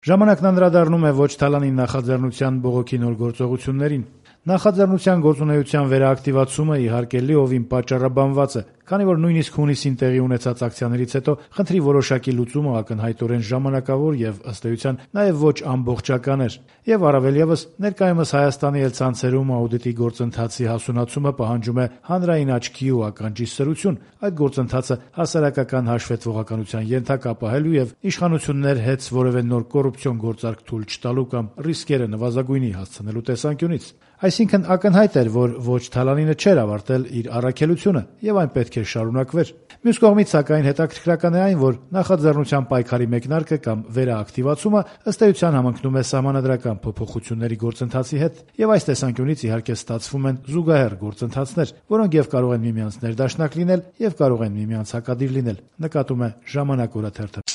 Ժամանակն անդրադառնում է ոչ թալանի նախաձեռնության բողոքի նոր գործողություններին։ Նախաձեռնության գործունեության վերաակտիվացումը իհարկե լիովին պատճառաբանված է, քանի որ նույնիսկ հունիսին տեղի ունեցած ակցիաներից հետո խնդրի որոշակի լուծումը ակնհայտորեն ժամանակավոր եւ ըստ էության նաեւ ոչ ամբողջական էր, եւ առավել եւս ներկայումս Հայաստանի էլ ցանցերում աուդիտի գործընթացի հասունացումը պահանջում է հանրային աչքի ու ականջի սրություն, այդ գործընթացը հասարակական հաշվետվողականության ենթակա պահելու եւ իշխանություններ հետ որևէ նոր կոռուպցիոն գործարք թույլ չտալու կամ ռիսկերը նվազագույնի հասցնելու տեսանկյունից։ Այսինքն ակնհայտ էր, որ ոչ թալանինը չէր ավարտել իր առաքելությունը եւ այն պետք է շարունակվեր։ Մյուս կողմից, սակայն, հետաքրքրական է այն, որ նախաձեռնության պայքարի մեկնարկը կամ վերաակտիվացումը ըստ էության համընկնում է սահմանադրական փոփոխությունների գործընթացի հետ, եւ այս տեսանկյունից իհարկե ստացվում են զուգահեռ գործընթացներ, որոնք եւ կարող են միմյանց ներդաշնակ լինել եւ կարող են միմյանց հակադիր լինել, նկատում է Ժամանակ օրաթերթը։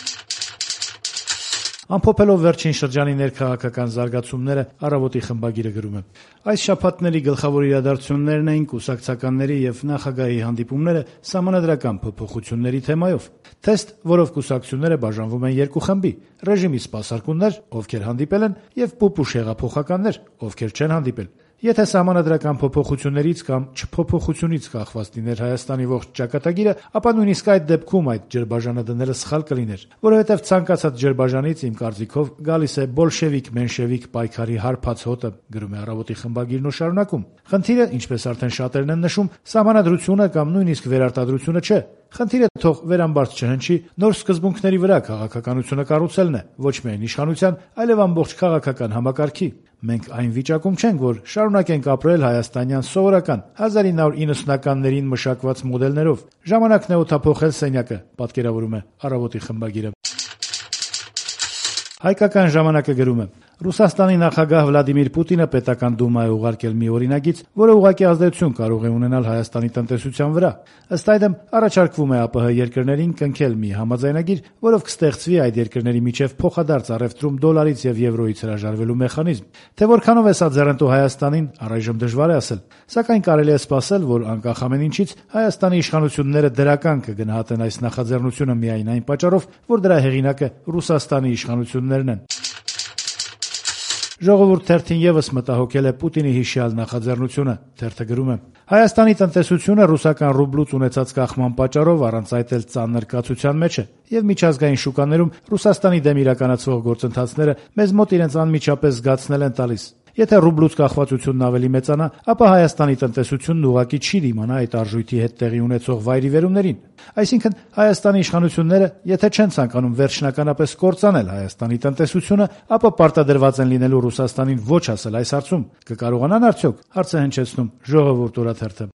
Ամփոփելով վերջին շրջանի ներքաղաքական զարգացումները, Առավոտի խմբագիրը գրում է. այս շաբաթների գլխավոր իրադարձություններն էին կուսակցականների եւ նախագահի հանդիպումները սահմանադրական փոփոխությունների թեմայով։ Թեստ, որով կուսակցությունները բաժանվում են երկու խմբի՝ ռեժիմի սպասարկուններ, ովքեր հանդիպել են, եւ պուպուշ հեղափոխականներ, ովքեր չեն հանդիպել։ Եթե սահմանադրական փոփոխություններից կամ չփոփոխությունից կախված լիներ Հայաստանի ողջ ճակատագիրը, ապա նույնիսկ այդ դեպքում այդ ջրբաժանը դնելը սխալ կլիներ, որովհետև ցանկացած ջրբաժանից իմ կարծիքով գալիս է բոլշևիկ-մենշևիկ պայքարի հարբած հոտը, գրում է Առավոտի խմբագիրն ու շարունակում. Խնդիրը, ինչպես արդեն շատերն են նշում, սահմանադրությունը կամ նույնիսկ վերարտադրությունը չէ։ Խնդիրը թող վերամբարձ չհնչի, նոր սկզբունքների վրա քաղաքականությունը կառուցելն է, ոչ միայն իշխանության, այլև ամբողջ քաղաքական համակարգի։ Մենք այն վիճակում չենք, որ շարունակենք ապրել հայաստանյան սովորական 1990-ականներին մշակված մոդելներով։ Ժամանակն է օդափոխել սենյակը, պատկերավորում է Առավոտի խմբագիրը։ Հայկական ժամանակը գրում է. Ռուսաստանի նախագահ Վլադիմիր Պուտինը պետական դումա է ուղարկել մի օրինագիծ, որը ուղղակի ազդեցություն կարող է ունենալ Հայաստանի տնտեսության վրա։ Ըստ այդմ, առաջարկվում է ԱՊՀ երկրներին կնքել մի համաձայնագիր, որով կստեղծվի այդ երկրների միջև փոխադարձ առևտրում դոլարից եւ եվրոյից հրաժարվելու մեխանիզմ։ Թե որքանով է սա ձեռնտու Հայաստանին, առայժմ դժվար է ասել, սակայն կարելի է սպասել, որ անկախ ամեն ինչից Հայաստանի իշխանությունները դրական կգնահատեն այս նախաձեռնությունը միայն այն պատճառով, որ դրա հեղինակը Ռուսաստանի իշխանություններն են։ Ժողովուրդ թերթին եւս մտահոգել է Պուտինի հիշյալ նախաձեռնությունը։ Թերթը գրում է. Հայաստանի տնտեսությունը ռուսական ռուբլուց ունեցած կախման պատճառով առանց այդ էլ ծանր կացության մեջ է, եւ միջազգային շուկաներում Ռուսաստանի դեմ իրականացվող գործընթացները մեզ մոտ իրենց անմիջապես զգացնել են տալիս։ Եթե ռուբլուց կախվածությունն ավելի մեծանա, ապա Հայաստանի տնտեսությունն ուղղակի չի դիմանա այդ արժույթի հետ տեղի ունեցող վայրիվերումներին։ Այսինքն Հայաստանի իշխանությունները, եթե չեն ցանկանում վերջնականապես կործանել Հայաստանի տնտեսությունը, ապա պարտադրված են լինելու Ռուսաստանին ոչ ասել այս հարցում։ Կկարողանան արդյոք, հարցը հնչեցնում Ժողովուրդ օրաթերթը։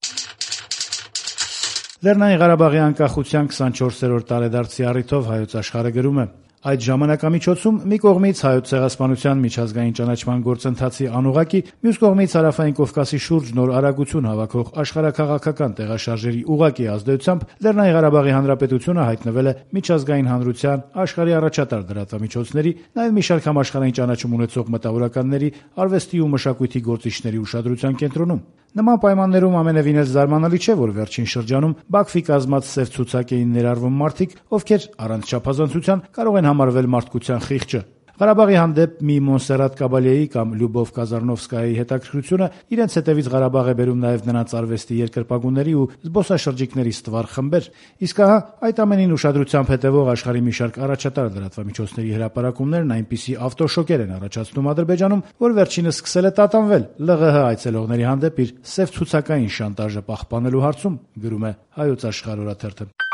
Լեռնային Ղարաբաղի անկախության 24-րդ տարեդարձի առիթով Հայոց Աշխարհը գրում է. Այդ ժամանակամիջոցում մի կողմից Հայոց ցեղասպանության միջազգային ճանաչման գործընթացի անուղղակի, մյուս կողմից Հարավային Կովկասի շուրջ նոր արագություն հավաքող աշխարհաքաղաքական տեղաշարժերի ուղղակի ազդեցությամբ Լեռնային Ղարաբաղի Հանրապետությունը հայտնվել է միջազգային հանրության, աշխարհի առաջատար լրատվամիջոցների, նաև մի շարք համաշխարհային ճանաչում ունեցող մտավորականների, արվեստի ու մշակույթի գործիչների ուշադրության կենտրոնում։ Նման պայմաններում ամենևին էլ զարմանալի չէ, որ վերջին շրջանում Բաքվի կազմած սև ցուցակ էին ներառվում մարդիկ, ովքեր առանց չափազանցության կարող են համարվել մարդկության խիղճը։ Ղարաբաղի հանդեպ մի Մոնսերատ Կաբալեի կամ Լյուբով Կազարնովսկայի հետաքրքրությունը իրենց հետևից Ղարաբաղ է բերում նաև նրանց արվեստի երկրպագուների ու զբոսաշրջիկների ստվար խմբեր։ Իսկ ահա այդ ամենին ուշադրությամբ հետևող աշխարհի մի շարք առաջատար լրատվամիջոցների հրապարակումներն այնպիսի ավտոշոկեր են առաջացնում Ադրբեջանում, որ վերջինս սկսել է տատանվել ԼՂՀ այցելողների հանդեպ իր սև ցուցակային շանտաժը պահպանելու հարցում, գրում է Հայոց Աշխարհ օրաթերթը։